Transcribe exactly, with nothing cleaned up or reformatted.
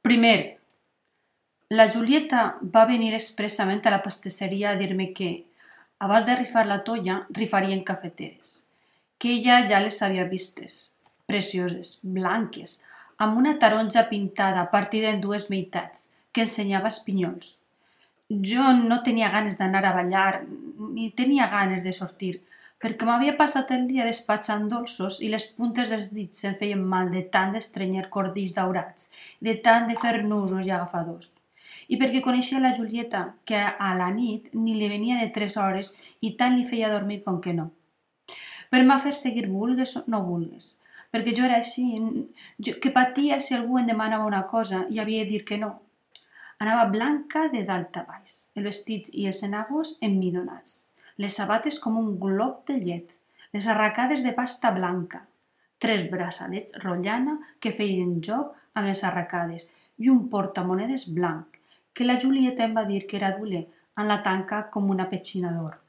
Primer, la Julieta va venir expressament a la pastisseria a dir-me que, abans de rifar la tolla, rifarien cafeteres, que ella ja les havia vistes, precioses, blanques, amb una taronja pintada partida en dues meitats, que ensenyava espinyols. Jo no tenia ganes d'anar a ballar, ni tenia ganes de sortir, perquè m'havia passat el dia despatxant dolços i les puntes dels dits se'm feien mal de tant d'estrenyer cordills daurats, de tant de fer nusos i agafadors. I perquè coneixia la Julieta, que a la nit ni li venia de tres hores i tant li feia dormir com que no. Però m'ha fer seguir vulgues o no vulgues, perquè jo era així, jo, que patia si algú em demanava una cosa i havia de dir que no. Anava blanca de dalt a baix, el vestit i els enagos emmidonats, les sabates com un glob de llet, les arracades de pasta blanca, tres braçalets rotllana que feien joc amb les arracades i un portamonedes blanc, que la Julieta em va dir que era d'hule, amb la tanca com una petxina d'or.